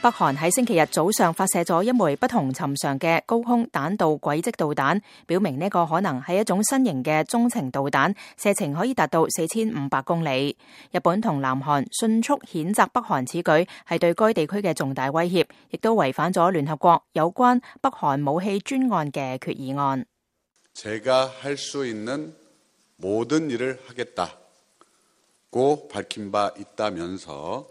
北韓喺星期日早上發射咗一枚不同尋常嘅高空彈道軌跡導彈，表明呢個可能係一種新型嘅中程導彈，射程可以達到4500公里。日本同南韓迅速譴責北韓此舉係對該地區嘅重大威脅，亦都違反咗聯合國有關北韓武器專案嘅決議案。제가 할 수 있는 모든 일을 하겠다고 밝힌 바 있다면서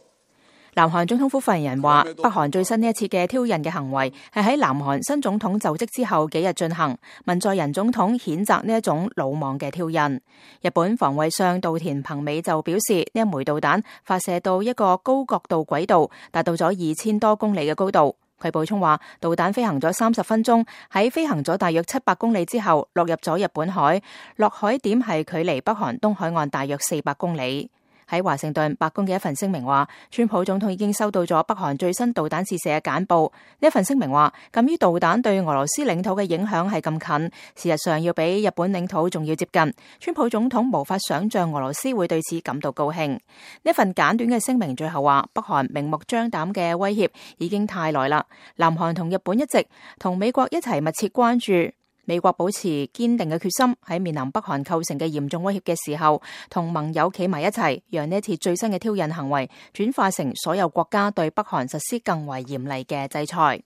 南韓總統府發言人話，北韓最新呢一次嘅挑釁嘅行為係喺南韓新總統就職之後幾日進行。文在寅總統譴責呢一種魯莽嘅挑釁。日本防衛相稻田朋美就表示，呢一枚導彈發射到一個高角度軌道，達到咗2000多公里嘅高度。佢補充話，導彈飛行咗30分鐘，喺飛行咗大約700公里之後落入咗日本海，落海點係距離北韓東海岸大約400公里。喺華盛頓，白宮嘅一份聲明話，川普總統已經收到咗北韓最新導彈試射嘅簡報。呢一份聲明話，鑑於導彈對俄羅斯領土嘅影響係咁近，事實上要比日本領土仲要接近，川普總統無法想象俄羅斯會對此感到高興。呢份簡短嘅聲明最後話，北韓明目張膽嘅威脅已經太耐啦，南韓同日本一直同美國一齊密切關注。美國保持堅定嘅決心，喺面臨北韓構成嘅嚴重威脅嘅時候，同盟友企埋一齊，讓呢一次最新嘅挑釁行為轉化成所有國家對北韓實施更為嚴厲嘅制裁。